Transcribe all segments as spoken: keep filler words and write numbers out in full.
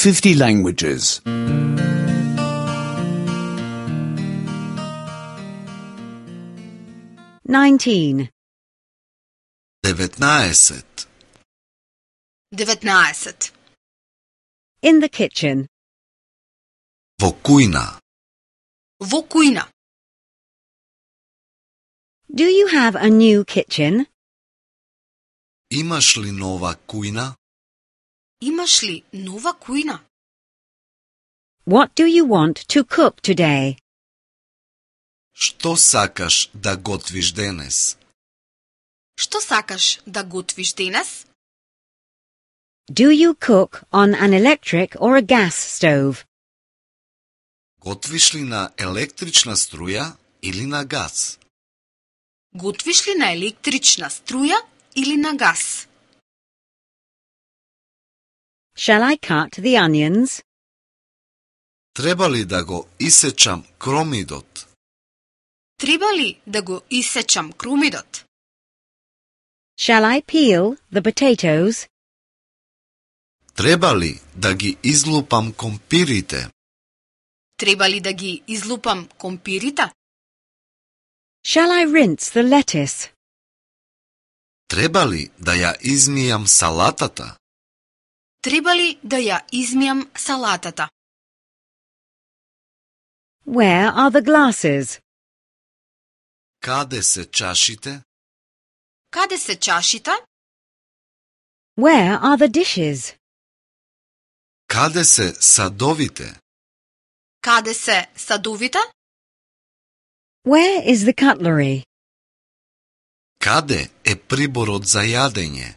fifty languages. nineteen. деветнаесет. деветнаесет. In the kitchen. Во кујна. Во кујна. Do you have a new kitchen? Имаш ли нова кујна? Имаш ли нова кујна? What do you want to cook today? Што сакаш да готвиш денес? Што сакаш да готвиш денес? Do you cook on an electric or a gas stove? Готвиш ли на електрична струја или на газ? Готвиш ли на електрична струја или на газ? Shall I cut the onions? Треба ли да го исечам кромидот? Треба ли да го исечам крумидот? Shall I peel the potatoes? Треба ли да ги излупам компирите? Треба ли да ги излупам компирите? Shall I rinse the lettuce? Треба ли да ја измијам салатата? Треба ли да ја измијам салатата? Where are the glasses? Каде се чашите? Каде се чашите? Where are the dishes? Каде се садовите? Каде се садовите? Where is the cutlery? Каде е приборот за јадење?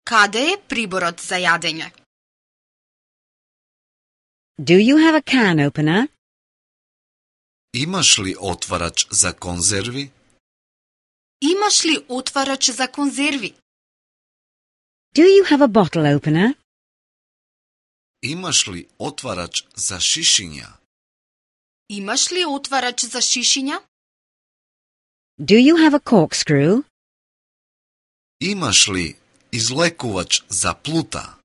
Каде е приборот за јадење? Do you have a can opener? Имаш ли отварач за конзерви? Имаш ли отварач за конзерви? Do you have a bottle opener? Имаш ли отварач за шишиња? Имаш ли отварач за шишиња? Do you have a corkscrew? Имаш ли излекувач за плута?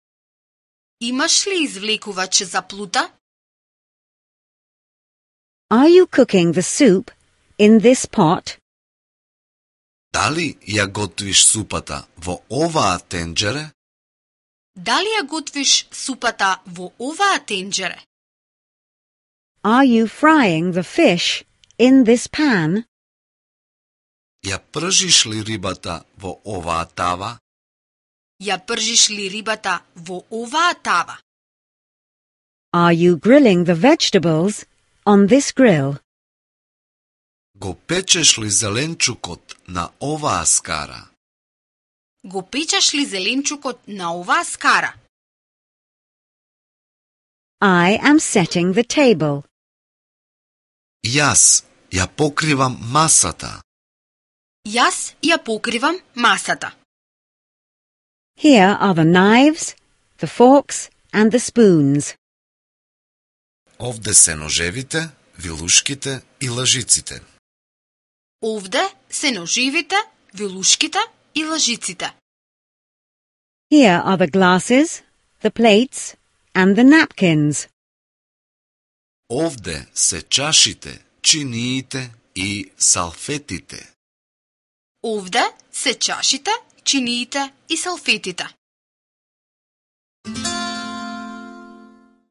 Имаш ли извлекувач за плута? Are you cooking the soup in this pot? Дали ја готвиш супата во оваа тенџере? Дали ја готвиш супата во оваа тенџере? Are you frying the fish in this pan? Ја пржиш ли рибата во оваа тава? Ја пржиш ли рибата во оваа тава? Are you grilling the vegetables on this grill? Го печеш ли зеленчукот на оваа скара? Го печеш ли зеленчукот на оваа скара? I am setting the table. Јас ја покривам масата. Јас ја покривам масата. Here are the knives, the forks, and the spoons. Овде се ножевите, вилушките и лажиците. Овде се ноживите, вилушките и лажиците. Here are the glasses, the plates, and the napkins. Овде се чашите, чиниите и салфетите. Овде се чашите, чиниите и салфетите.